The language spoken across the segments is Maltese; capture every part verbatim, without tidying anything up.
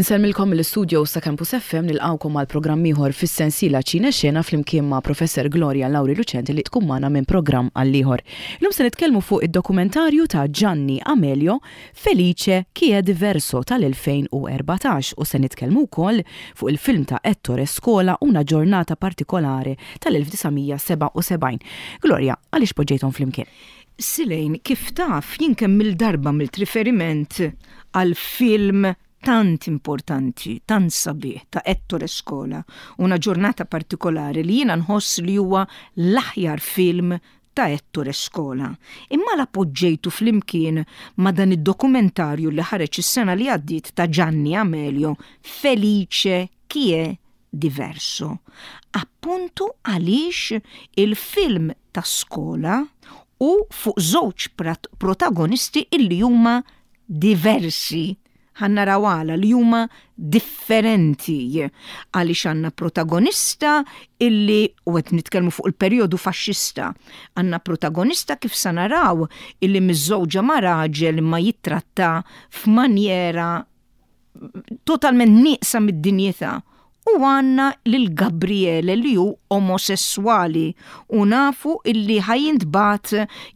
Insellmilkom mill-istudio sa Campus F M, nilqgħukom għal programm ieħor fis-sensiela Ċine Xena flimkien ma' Professor Gloria Lauri Lucenti li tkun magħna minn programm għal ieħor. Illum se nitkellmu fuq id-dokumentarju ta' Gianni Amelio, Felice chi è diverso, tal-elfejn u erbatax u se nitkellmu wkoll fuq il-film ta' Ettore Scola, Una giornata particolare, tal-elf disa' mija sebgħa u sebgħin. Gloria, għaliex poġġejthom flimkien? Silejn, kif taf, jien kemm il-darba għamilt riferiment għal film tant importanti, tant sabiħ ta' Ettore Scola, Una giornata particolare, li jiena nħoss li huwa l-aħjar film ta' Ettore Scola. Imma la poġġejtu flimkien ma' dan id-dokumentarju li ħareġ is-sena li għaddiet ta' Gianni Amelio, Felice chi è diverso. Appuntu għaliex il-film ta' Scola u fuq żewġ protagonisti illi huma diversi, ħa naraw għala li huma differenti, għaliex għandna protagonista illi, u qed nitkellmu fuq il-perjodu faxxista, għandna protagonista, kif sa naraw, illi miżżewġa ma' raġel ma jittratta f'manjera totalment nieqsa mid-dinjità, u għandna lil Gabriele li hu omosessuali u nafu illi ħa jintbagħat,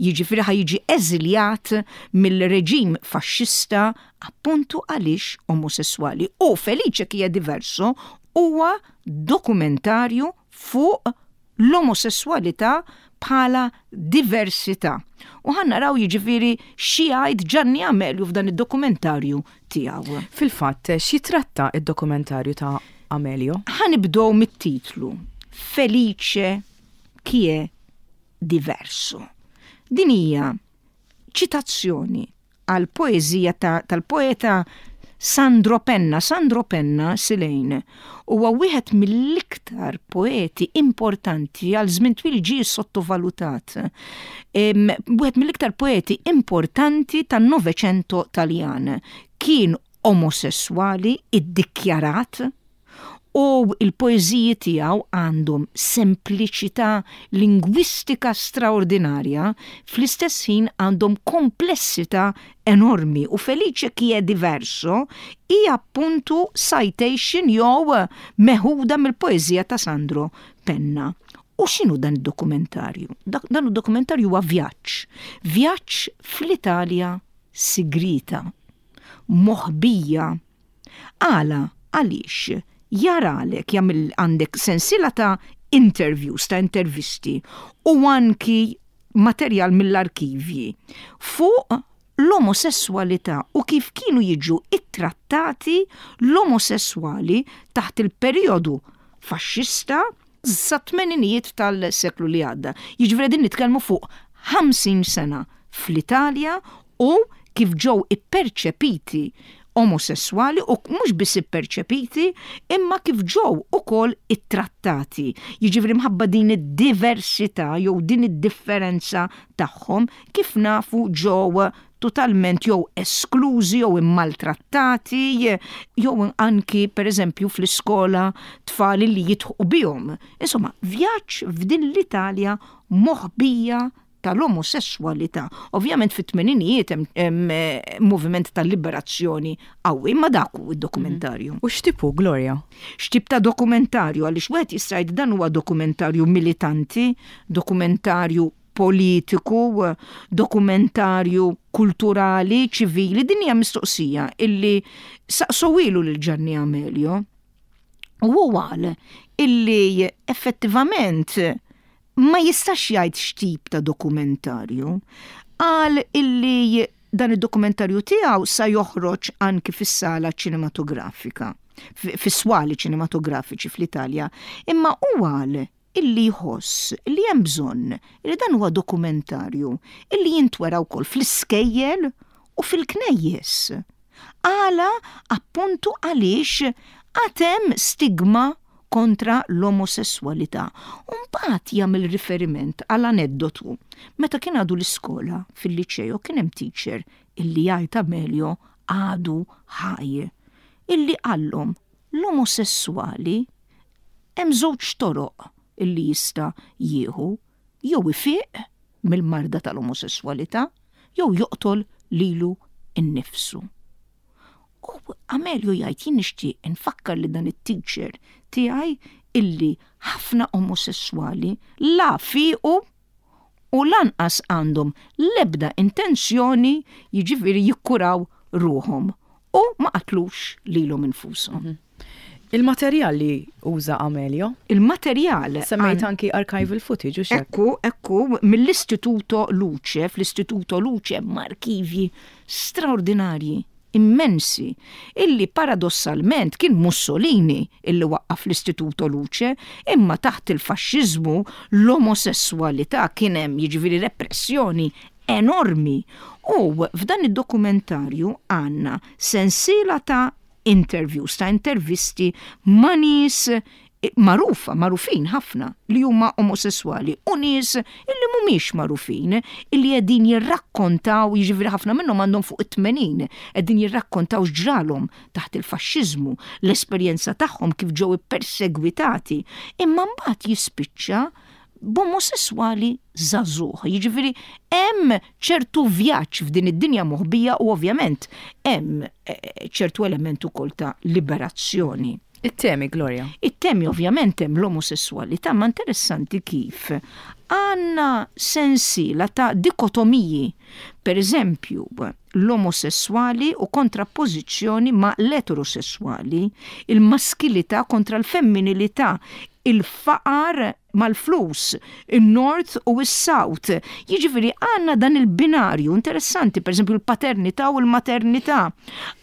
jiġifieri ħa jiġi eżiljat mill-reġim faxxista appuntu għaliex omosessuali. U Felice chi è diverso huwa dokumentarju fuq l-omosessualità bħala diversità. U ħa naraw jiġifieri x'jgħid Gianni Amelio f'dan id-dokumentarju tiegħu. Fil-fatt, xi tratta id-dokumentarju ta' Amelio? Ħa nibdew mit-titlu. Felice chi è diverso. Din hija ċitazzjoni għal poeżija tal-poeta Sandro Penna. Sandro Penna, Silejn, huwa wieħed mill-iktar poeti importanti, għal żmien twil ġie sottovalutat. Wieħed mill-iktar poeti importanti tan-Novecento Taljan. Kien omosessuali iddikjarat u il-poeżiji tiegħu għandhom sempliċità lingwistika straordinarja, fl-istess ħin għandhom komplessità enormi, u Felice chi è diverso hija appuntu citation jew meħuda mill-poeżija ta' Sandro Penna. U x'inhu dan id-dokumentarju? Dan id-dokumentarju huwa vjaġġ. Vjaġġ fl-Italja sigrita, moħbija. Għala, għaliex jaralek jagħmel għandek sensiela ta' interviews, ta' intervisti u anki materjal mill-arkivji fuq l-omosessualità u kif kienu jiġu ittrattati l-omosessuali taħt il-perjodu faxxista sa tmeninijiet tal-seklu li għadda. Jiġifieri din nitkellmu fuq ħamsin sena fl-Italja u kif ġew ipperċepiti omosessuali, u mhux biss ipperċepiti imma kif ġew ukoll ittrattati. Jiġifieri mħabba din id-diversità jew din id-differenza tagħhom, kif nafu, ġew totalment jew esklużi jew immaltrattati, jew anki pereżempju fl-iskola tfal li jidħqu bihom. Insomma, vjaġġ f'din l-Italja moħbija tal-omosessualità. Ovvjament fit-tmeninijiet hemm eh, moviment tal-liberazzjoni qawwi, imma dak hu id-dokumentarju. U x'tip hu, Gloria? X'tip ta' dokumentarju? Għaliex wieħed jista' jgħid dan huwa dokumentarju militanti, dokumentarju politiku, dokumentarju kulturali, ċivili? Din hija mistoqsija illi saqsowilu lil Gianni Amelio. U hu qal illi effettivament ma jistax jgħid x'tip ta' dokumentarju. Qal illi dan id-dokumentarju tiegħu sa joħroġ anki fis-sala ċinematografika, fis-swali ċinematografiċi fl-Italja, imma u qal illi jħoss li hemm bżonn li dan huwa dokumentarju illi jintwera wkoll fl-iskejjel u fil-knejjes. Għala? Appuntu għaliex għad hemm stigma kontra l-omosessualità. Mbagħad jagħmel riferiment għal aneddotu. Meta kien għadu l-iskola fil-liċeo kien hemm teacher illi jgħid Amelio, għadu ħaj, illi qallhom l-omosessuali hemm żewġ toroq illi jista' jieħu: jew ifiq mill-marda tal-omosessualità jew joqtol lilu innifsu. U Amelio jgħid, "Jien nixtieq nfakkar li dan it-teacher tiegħi illi ħafna omosessuali la fiqu u lanqas għandhom lebda intenzjoni, jiġifieri, jikkuraw ruħhom u ma qatlux lilhom infushom." Mhm. Il-materjal li uża Amelio? Il-materjal. Semmejt anki archival footage u xek. Ekku, ekku, mill-Istituto Luce, fl-Istituto Luce hemm arkivji straordinarji, immensi, illi paradossalment kien Mussolini illi waqqaf l-Istituto Luce, imma taħt il-faxxiżmu l-omosessualità kien hemm, jiġifieri, repressjoni enormi. U f'dan id-dokumentarju għandna sensiela ta' interviews, ta' intervisti ma' nies magħrufa, magħrufin ħafna li huma omosessuali u nies illi mhumiex magħrufin, illi qegħdin jirrakkontaw, jiġifieri ħafna minnhom għandhom fuq it-tmenin, qegħdin jirrakkontaw x'ġralhom taħt il-faxxiżmu, l-esperjenza tagħhom, kif ġew ippersegwitati, imma mbagħad jispiċċa b'omosessuali żagħżugħ. Jiġifieri hemm ċertu vjaġġ f'din id-dinja moħbija u ovvjament hemm eh, ċertu element ukoll ta' liberazzjoni. It-temi, Gloria. It-temi, ovvjament hemm l-omosessualità, ma interessanti kif għandna sensiela ta' dikotomiji. Per eżempju, l-omosessuali u kontrappożizzjoni ma' l-eterosessuali, il-maskilità kontra l-femminilità, il-faqar mal-flus, il-North u il-South. Jiġifieri għandna dan il-binarju interessanti, per eżempju l-paternità u l-maternità.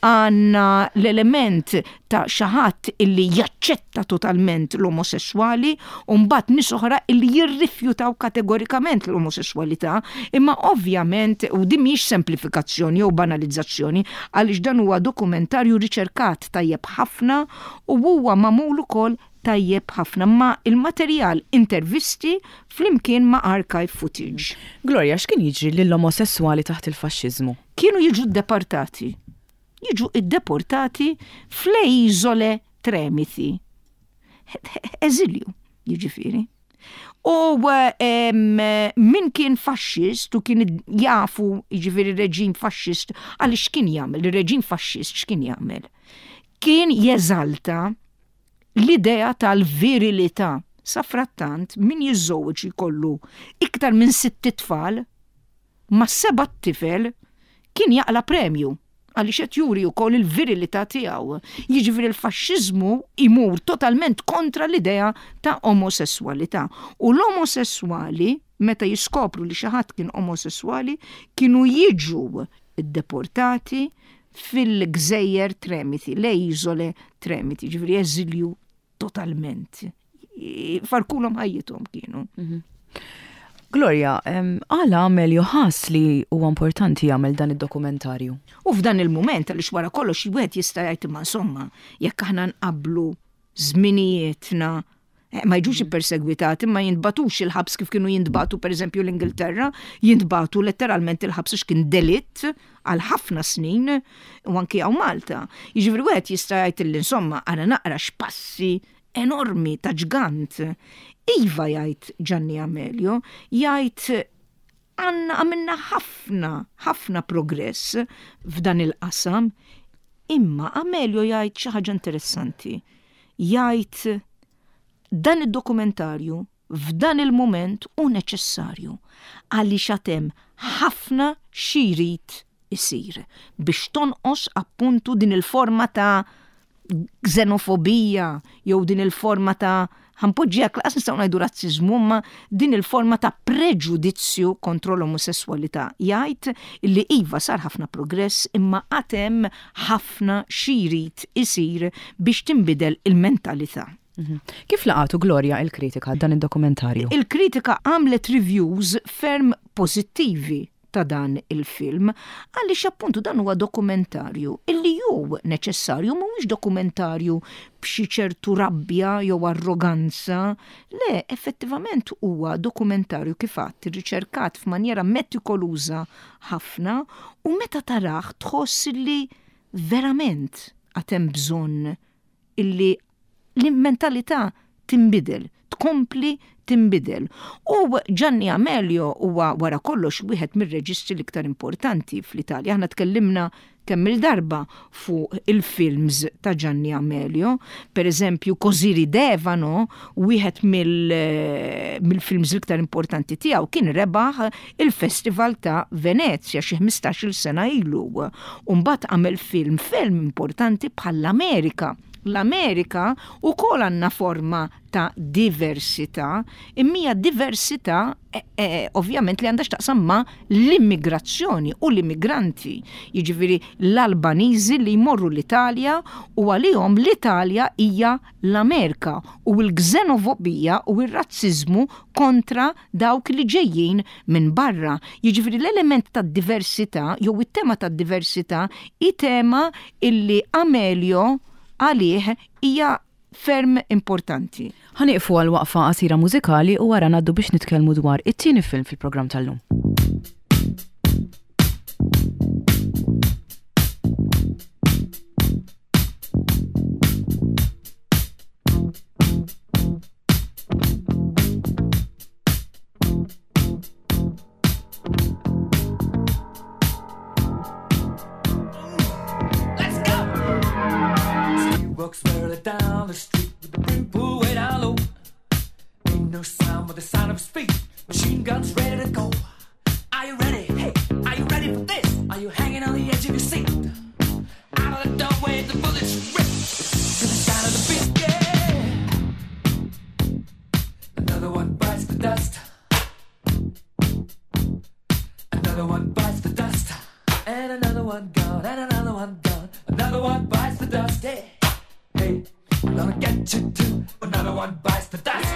Għandna l-element ta' xi ħadd illi jaċċetta totalment l-omosessuali u mbagħad nies oħra illi jirrifjutaw kategorikament l-omosessualità, imma ovvjament u din mhijiex semplifikazzjoni jew banalizzazzjoni, għaliex dan huwa dokumentarju riċerkat tajjeb ħafna u huwa magħmul ukoll tajjeb ħafna, ma il-materjal intervisti flimkien ma' archive footage. Gloria, x'kien jiġri lill-omosessuali taħt il-faxxiżmu? Kienu jiġu deportati. Jiġu iddeportati fl Isole Tremiti. Eżilju, jiġifieri. U min kien faxxist u kien jafu, jiġifieri, reġim faxxist, għaliex kien jagħmel, il-reġim faxxist x'kien jagħmel? Kien jeżalta l-idea tal-virilità. Safrattant, min jiżżewweġ, jkollu iktar minn sitt tfal, ma' seba' tifel kien jaqla premju għaliex qed juri wkoll il-virilità tiegħu. Jiġifieri l-faxxiżmu imur totalment kontra l-idea ta' omosessualità. U l-omosessuali, meta jiskopru li xi ħadd kien omosessuali, kienu jiġu deportati fil-gżejjer Tremiti, le Isole Tremiti, ġifieri eżilju totalment. Farkulhom ħajjithom kienu. Mhm. Gloria, għala Amelio ħass li huwa importanti jagħmel dan id-dokumentarju? U f'dan il-moment, għaliex wara kollox wieħed jista' jgħid, imma insomma, jekk aħna nqablu żminijietna, eh, ma jiġux ippersegwitati, ma jintbagħtux il-ħabs kif kienu jintbagħtu, per eżempju, l-Ingilterra, jintbagħtu letteralment il-ħabs għax kien delitt għal ħafna snin, u anki hawn Malta. Jiġifieri wieħed jista' jgħid li insomma għara naqra x'passi enormi ta' ġgant. Iva, jgħid Gianni Amelio, jgħid, għandna għamilna ħafna, ħafna progress f'dan il-qasam, imma Amelio jgħid xi ħaġa interessanti. Jgħid, "Dan id-dokumentarju f'dan il-moment hu neċessarju għaliex għad hemm ħafna xi jrid isir biex tonqos appuntu din il-forma ta' xenofobija jew din il-forma ta', ħa npoġġiha, lanqas nistgħu ngħidu razzizmu, ma din il-forma ta' preġudizzju kontra l-omosessualità." Jgħid li iva, sar ħafna progress, imma għad hemm ħafna xi jrid isir biex tinbidel il-mentalità. Mhm. Kif laqatu, Gloria, il-kritika dan id-dokumentarju? Il-kritika għamlet reviews ferm pozittivi ta' dan il-film, għaliex appuntu dan huwa dokumentarju illi ju neċessarju, mhuwiex dokumentarju b'xi ċertu rabbja jew arroganza, le, effettivament huwa dokumentarju, kif għedt, riċerkat f'manjera metikoluża ħafna u meta tarah tħoss illi verament għad hemm bżonn illi l-mentalità tinbidel, tkompli tinbidel. tkompli tinbidel. U Gianni Amelio huwa wara kollox wieħed mir-reġisti l-iktar importanti fl-Italja. Aħna tkellimna kemm il-darba fuq il-films ta' Gianni Amelio, per eżempju Così ridevano, wieħed mill-films l-iktar importanti tiegħu, kien rebaħ il-Festival ta' Venezia xi ħmistax-il sena ilu. U mbagħad għamel film film importanti bħall-Amerika. L-Amerika ukoll għandna forma ta' diversità, imma diversità eh, eh, ovvjament li għandha x'taqsam ma' l-immigrazzjoni u l-immigranti. Jiġifieri l-Albaniżi li jmorru l-Italja u għalihom l-Italja hija l-Amerika u l-xenofobija u r-razzizmu kontra dawk li ġejjin minn barra. Jiġifieri l-element ta' diversità jew it-tema ta' diversità hi tema illi Amelio għalih hija ferm importanti. Ħa nieqfu għal waqfa qasira mużikali u wara ngħaddu biex nitkellmu dwar it-tieni film fil-programm tal-lum. Let's go! He walks merrily down the street with the brim pulled way down low. Ain't no sound but the sound of his feet. Machine guns ready to go. Are you ready? Hey, are you ready for this? Are you hanging on the edge of your seat? Out of the doorway, the bullets rip to the sound of the beat. Yeah. Another one bites the dust. Another one bites the dust. And another one gone, and another one gone. Another one bites the dust. Hey, hey, I'm gonna get you too. Another one bites the dust.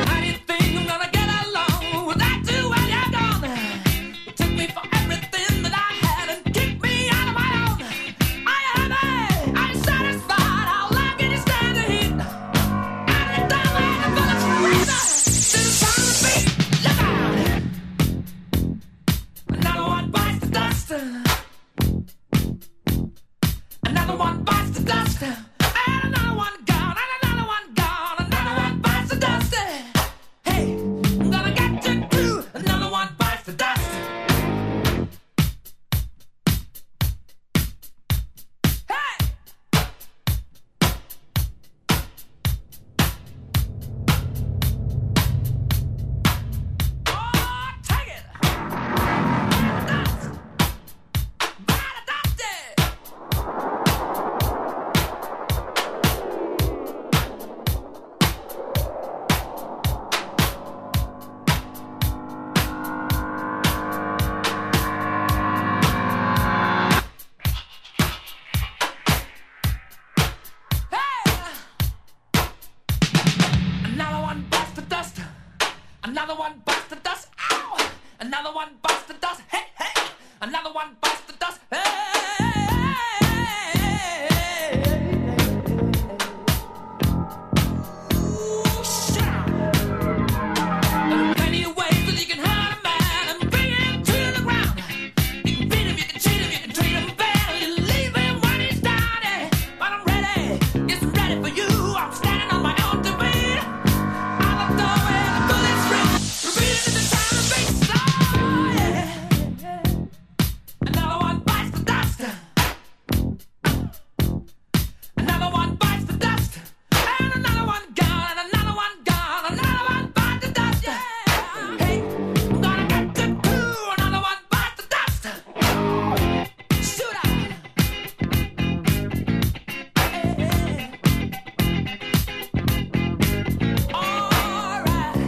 How do you think I'm gonna get along without you when you're gone? You took me for everything that I had and kicked me out of my own. Are you happy? Are you satisfied? How long can you stand the heat? Out of the doorway, the bullets rip to the sound of the beat. Look out! Another one bites the dust. Another one bites the dust. And another one gone, and another one gone. Another one bites the dust. Hey, I'm gonna get you too. Another one bites the dust. Hey! Oh, take it! Bite the dust! Bite the dust! Hey! Another one bites the dust. Another one bites the dust. Ow! Another one bites the dust. Hey, hey! Another one bites the dust. Hey! Ooh, shit. There are plenty of ways that you can hurt a man and bring him to the ground. You can beat him, you can cheat him, you can treat him bad, you leave him when he's down. Yeah. But I'm ready, yes, I'm ready for you. I'm standing on my own two feet. Out the doorway, the bullets rip, repeating to the sound of beat. Oh, yeah. Another one bites the dust. Another one bites the dust. And another one gone, and another one gone, another one bites the dust. Yeah. Hey, I'm gonna get you too. Another one bites the dust. Shoot out. Hey, hey. All right.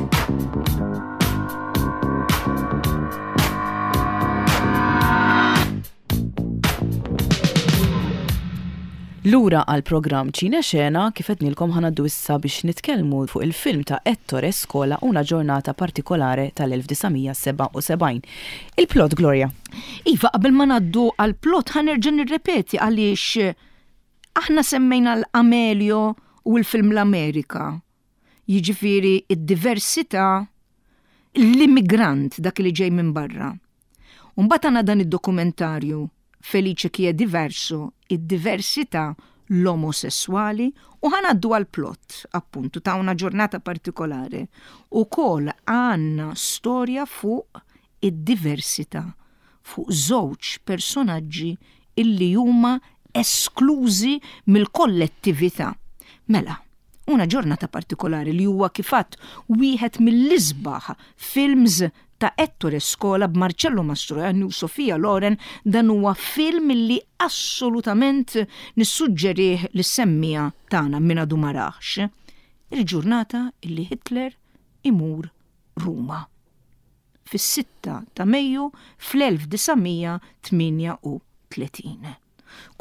Lura għal programm Ċine Xena, kif għednilkom, ħa ngħaddu issa biex nitkellmu fuq il-film ta' Ettore Scola, Una giornata particolare tal-elf disa' mija sebgħa u sebgħin. Il-plot, Gloria. Iva, qabel ma ngħaddu għal plot ħa nerġa' nirrepeti għaliex aħna semmejna l-Amelio u l-film l-Amerika. Jiġifieri id-diversità, l-immigrant, dak li ġej minn barra. Mbagħad għandna dan id-dokumentarju Felice chi è diverso, id-diversità, l-omosessuali, u ħa ngħaddu għal plot appuntu ta' Una giornata particolare. Ukoll għandna storja fuq id-diversità, fuq żewġ personaġġi illi huma esklużi mill-kollettività. Mela, Una giornata particolare, li huwa kif għedt wieħed mill-isbaħ films ta' Ettore Scola b'Marcello Mastroianni u Sofia Loren, dan huwa film li assolutament nissuġġerih lis-semmiegħa tagħna min għadu ma rahx. Il-ġurnata illi Hitler imur Ruma, fis-sitta ta' Mejju fl-elf disa' mija tmienja u tletin.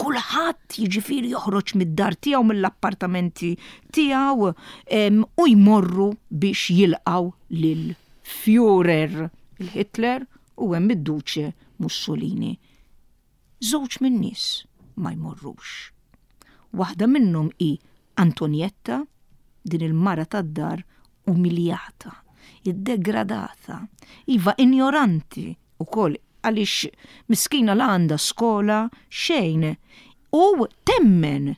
Kulħadd jiġifieri joħroġ mid-dar tiegħu, mill-appartamenti tiegħu, u jmorru biex jilqgħu lil Führer, il-Hitler, u hemm id-Duce Mussolini. Żewġ min-nies ma jmorrux. Waħda minnhom hi Antonietta, din il-mara tad-dar umiljata, iddegradata, iva, ignoranti ukoll, għaliex miskina la għandha skola xejn u temmen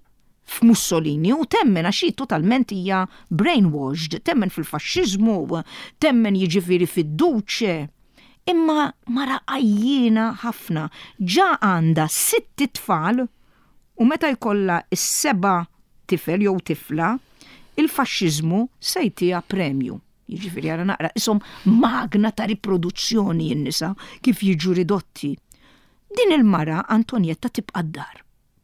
f'Mussolini u temmen għax hi totalment hija brainwashed, temmen fil-faxxiżmu, temmen jiġifieri fid-duċe. Imma mara għajjiena ħafna, ġa għandha sitt tfal u meta jkollha is-seba' tifel jew tifla, il-faxxiżmu se jtiha premju. Jiġifieri ara naqra, isom magna ta' riproduzzjoni n-nisa kif jiġu ridotti. Din il-mara Antonietta tibqa' d-dar.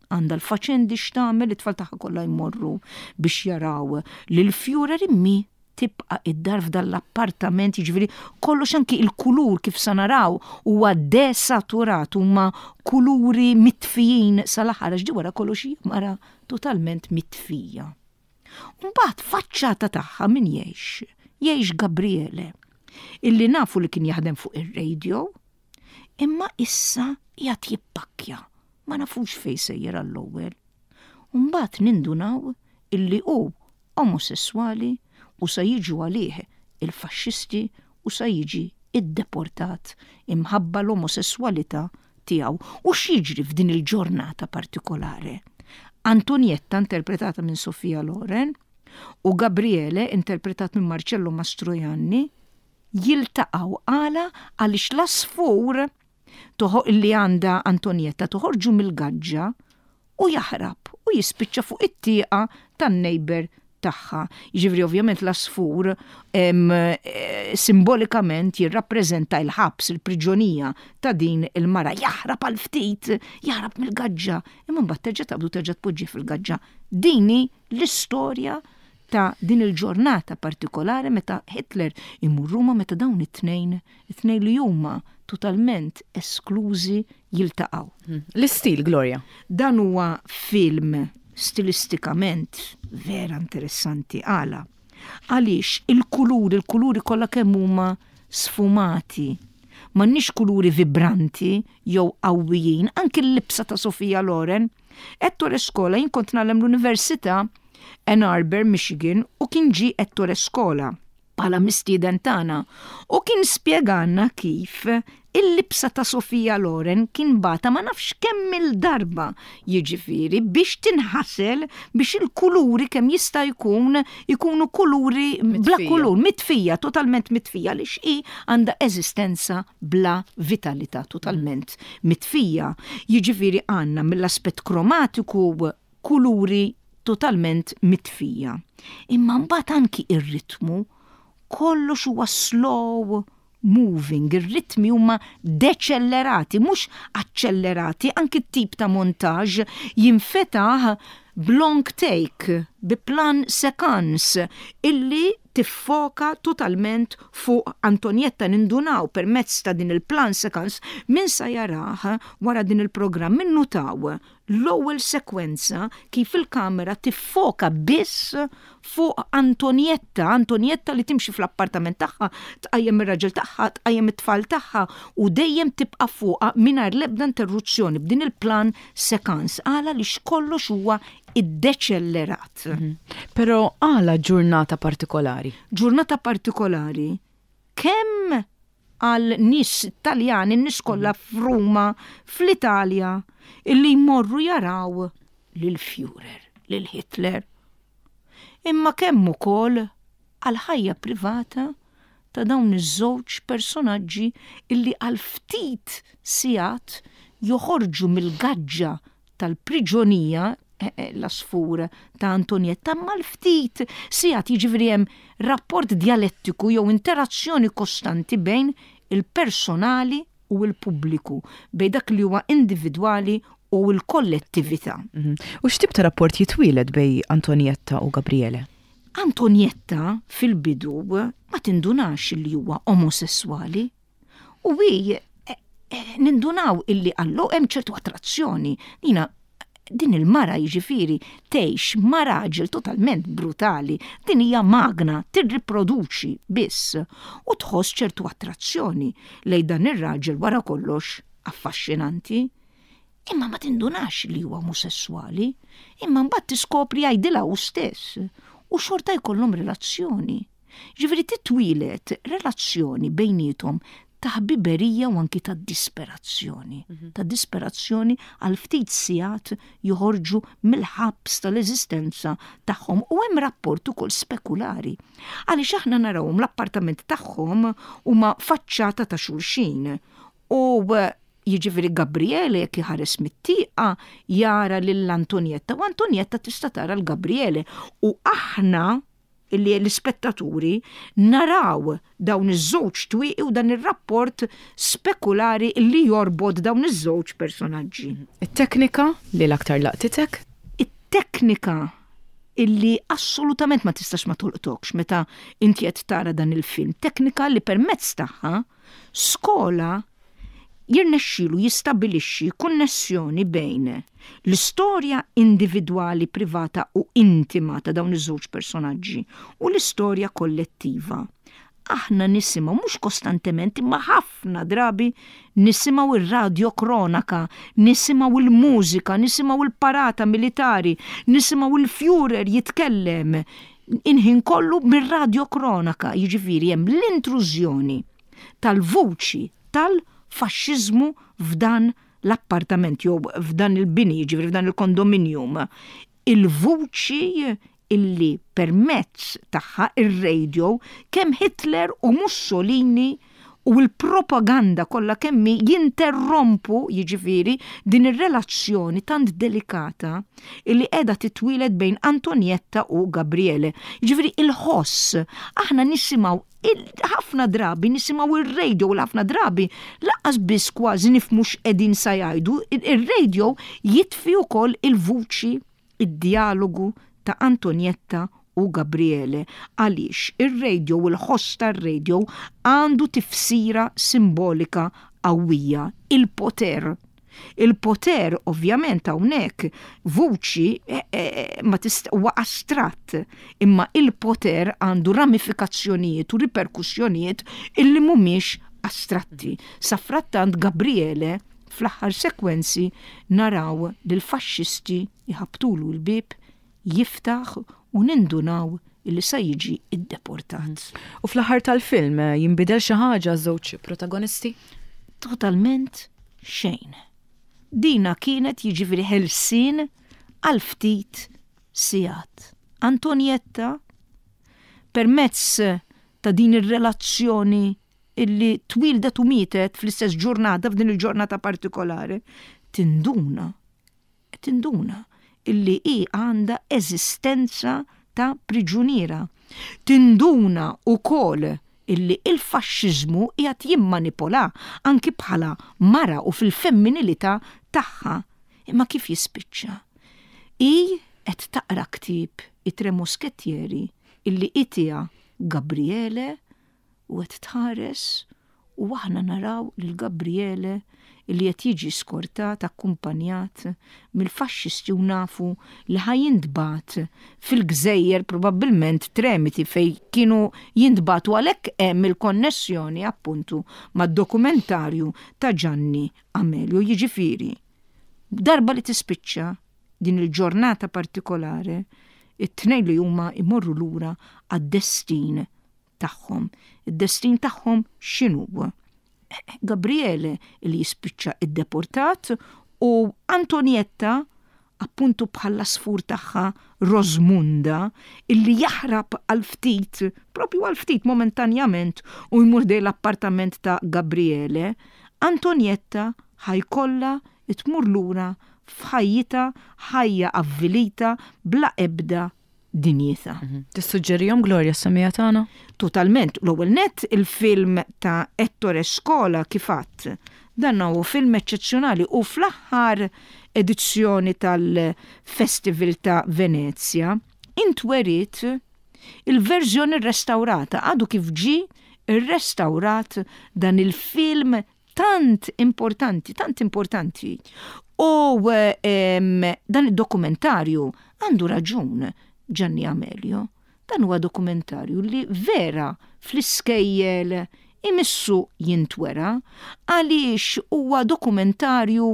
Għandha l-faċendi x'tagħmel, it-tfal tagħha kollha jmorru biex jaraw lil Führer, imma tibqa' id-dar f'dan l-appartament, jiġifieri kollox, anki il-kulur kif sa naraw huwa desaturat, huma kuluri mitfijin sal-aħħar, għax di wara kollox hija mara totalment mitfija. Mbagħad faċċata tagħha min jgħix? Jgħix Gabriele, illi nafu li kien jaħdem fuq ir-radio, imma issa qiegħed jippakkja. Ma nafux fejn sejjer għall-ewwel. Mbagħad nindunaw illi hu omosessuali u sa jiġu għalih il-faxxisti u sa jiġi iddeportat imħabba l-omosessualità tiegħu. U x'jiġri f'din il-ġurnata partikolari? Antonietta, interpretata minn Sofia Loren, u Gabriele, interpretat minn Marcello Mastroianni, jiltaqgħu. Għala? Għaliex l-għasfur toħo li għandha Antonietta toħorġu mill-gaġġa u jaħrab u jispiċċa fuq it-tieqa tan-neighbor tagħha. Jiġifieri ovvjament l-għasfur em, eh, simbolikament jirrappreżenta il-ħabs, il-priġonija ta' din il-mara. Jaħrab għal ftit, jaħrab mill-gaġġa, imma mbagħad terġa' taqbdu, terġa' tpoġġi fil-gaġġa. Din hi l-istorja ta' din il-ġurnata partikolari meta Hitler imur Ruma, meta dawn it-tnejn, it-tnejn li huma totalment esklużi, jiltaqgħu. L-istil, Gloria. Dan huwa film stilistikament vera interessanti. Għala? Għaliex il-kuluri, il-kuluri kollha kemm huma sfumati. M'għandniex kuluri vibranti jew qawwijin, anki l-libsa ta' Sofia Loren. Ettore Scola, jien kont ngħallem l-Università Ann Arbor, Michigan, u kien ġi Ettore Scola bħala mistieden tagħna u kien spjegalna kif il-libsa ta' Sofia Loren kien bagħatha ma nafx kemm il-darba jiġifieri biex tinħasel, biex il-kuluri kemm jista' jkun ikunu kuluri bla Mitfija. kulur, mitfija, totalment mitfija, li hi għandha eżistenza bla vitalità, totalment mitfija. Jiġifieri għandna mill-aspett kromatiku kuluri totalment mitfija. Imma mbagħad anki ir-ritmu, kollox huwa slow moving, ir-ritmi huma deċellerati, mhux accelerati, anki t-tip ta' montaġġ jinfetaħ b'long take, bi plan séquence, illi tiffoka totalment fuq Antonietta. Nindunaw permezz ta' din il-plan séquence, min sa jarah wara din il-programm, minnutaw l-ewwel sekwenza kif il-kamera tiffoka biss fuq Antonietta, Antonietta li timxi fl-appartament tagħha, tqajjem ir-raġel tagħha, tqajjem it-tfal tagħha u dejjem tibqa' fuqha mingħajr l-ebda interruzzjoni b'din il-plan séquence. Għala? Li kollox huwa iddeċellerat. Però għala Ġurnata partikolari? Ġurnata partikolari, kemm Għal nies Taljani, nies kollha f'Ruma, fl-Italja, illi jmorru jaraw lil Führer, lil Hitler. Imma kemm ukoll għal ħajja privata ta' dawn iż-żewġ personaġġi illi għal ftit sigħat joħorġu mill-gaġġa tal-priġonija, eh, eh, l-asfur ta' Antonietta, ma l-ftit sigħat. Jiġifieri hemm rapport dialettiku jew interazzjoni kostanti bejn il-personali u l-pubbliku, bejn dak li huwa individwali u l-kollettività. Mhm. U x'tip ta' rapport jitwieled bejn Antonietta u Gabriele? Antonietta fil-bidu ma tindunax li huwa omosessuali u hi eh, eh, nindunaw illi għallu hemm ċertu attrazzjoni. Nina din il-mara, jiġifieri, tgħix ma' raġel totalment brutali, din hija magna tirriproduċi biss u tħoss ċertu attrazzjoni lejn dan ir-raġel, wara kollox affaxxinanti. Imma ma tindunax li huwa omosessuali, imma mbagħad tiskopri, jgħidilha hu stess u xorta jkollhom relazzjoni. Ġifieri titwieled relazzjoni bejniethom ta' ħbiberija u anki ta' disperazzjoni. Ta' disperazzjoni għal ftit sigħat joħorġu mill-ħabs tal-eżistenza tagħhom u hemm rapport ukoll spekulari. Għaliex aħna narawhom, l-appartament tagħhom huma faċċata ta' xulxin. U eh, jiġifieri Gabriele jekk iħares mit-tieqa jara lil Antonietta u Antonietta tista' tara l-Gabriele u aħna illi l-ispettaturi naraw dawn iż-żewġ twieqi u dan ir-rapport spekulari li jorbot dawn iż-żewġ personaġġi. It-teknika li l-aktar laqtitek? It-teknika illi assolutament ma tistax ma tolqtokx meta inti qed tara dan il-film, teknika li permezz tagħha Scola jirnexxilu jistabilixxi konnessjoni bejn l-istorja individwali, privata u intima ta' dawn iż-żewġ personaġġi u l-istorja kollettiva. Aħna nisimgħu, mhux kostantement imma ħafna drabi, nisimgħu ir-radio kronaka, nisimgħu il-mużika, nisimgħu il-parata militari, nisimgħu il-Führer jitkellem inħin kollu mir-radio kronaka, jiġifieri hemm l-intrużjoni tal-vuċi tal-faxxiżmu f'dan l-appartament jew f'dan il-bini, jiġifieri f'dan il-kondominium. Il-vuċi illi permezz tagħha, ir-radio, kemm Hitler u Mussolini u l-propaganda kollha kemm jinterrompu, jiġifieri, din ir-relazzjoni tant delikata illi qiegħda titwieled bejn Antonietta u Gabriele. Jiġifieri il-ħoss, aħna nisimgħu ħafna drabi, nisimgħu ir-radio u ħafna drabi lanqas biss kważi nifhmu x'qegħdin sa jgħidu, ir-radio jitfi wkoll il-vuċi, id-dialogu ta' Antonietta u Gabriele, għaliex ir-radio u l-ħoss tar-radio għandu tifsira simbolika qawwija, il-poter. Il-poter ovvjament hawnhekk vuċi eh, eh, ma tist huwa astratt, imma il-poter għandu ramifikazzjonijiet u riperkussjonijiet illi mhumiex astratti. Safrattant Gabriele fl-aħħar sekwenzi naraw li l-faxxisti jħabtulu l-bib, jiftaħ u nindunaw illi sa jiġi iddeportat. U fl-aħħar tal-film eh, jinbidel xi ħaġa żewġ protagonisti? Totalment xejn. Dina kienet, jiġifieri, ħelsien għal ftit sigħat. Antonietta permezz ta' din ir-relazzjoni illi twildet u mietet fl-istess ġurnata, f'din il-ġurnata partikolari, tinduna, tinduna illi hi għandha eżistenza ta' priġuniera. Tinduna ukoll illi il-faxxiżmu qiegħed jimmanipola anki bħala mara u fil-femminilità tagħha. Imma kif jispiċċa? Hi qed taqra ktieb I Tre Moschettieri illi itiha Gabriele u qed tħares u aħna naraw lil Gabriele illi qed jiġi skortat, akkumpanjat mill-faxxisti u nafu li ħa jintbagħat fil-gżejjer, probabbilment Tremiti, fej kienu jintbagħtu. Għalhekk hemm il-konnessjoni appuntu mad-dokumentarju ta' Gianni Amelio. Jiġifieri darba li tispiċċa din il-ġurnata partikolari, it-tnejn li huma imorru lura għad-destin tagħhom. Id-destin tagħhom x'inhu? Gabriele li jispiċċa iddeportat u Antonietta, appuntu, bħala sfur tagħha Rosmunda, illi jaħrab għal ftit, propju għal ftit, momentanjament, u jmur ħdejn l-appartament ta' Gabriele. Antonietta ħa jkollha tmur lura f'ħajjitha, ħajja avvilita bla ebda dinjità. Mhm. Tissuġġerihom, Gloria, s-semmiegħa tagħna? Totalment. L-ewwel net, il-film ta' Ettore Scola, kif għedt. Dan huwa film eċċezzjonali u fl-aħħar edizzjoni tal-Festival ta' Venezia intweriet il-verżjoni restaurata, għadu kif ġi restaurat dan il-film tant importanti, tant importanti. U dan id-dokumentarju, għandu raġun Gianni Amelio, dan huwa dokumentarju li vera fl-iskejjel imissu jintwera, għaliex huwa dokumentarju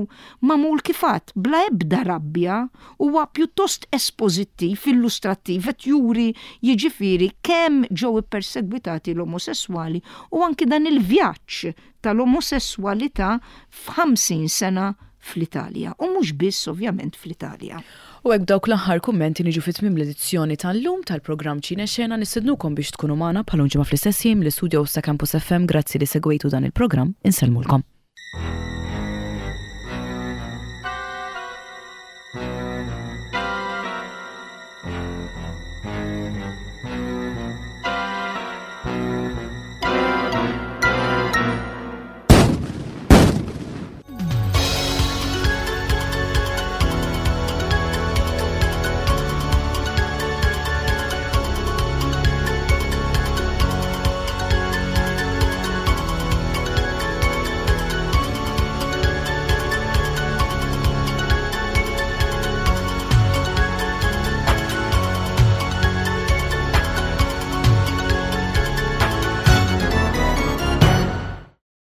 magħmul, kif għedt, bla ebda rabbja, huwa pjuttost espożittiv, illustrattiv, qed juri jiġifieri kemm ġew ippersegwitati l-omosessuali u anki dan il-vjaġġ tal-omosessualità f'ħamsin sena fl-Italja. U mhux biss, ovvjament, fl-Italja. U hekk, dawk l-aħħar kummenti, niġu fi tmiem l-edizzjoni tal-lum tal-programm Ċine Xena. Nistednukom biex tkunu magħna bħal ġimgħa fl-istess jiem l-istudio ta' Campus F M. Grazzi li segwejtu dan il-programm, insellmulkom.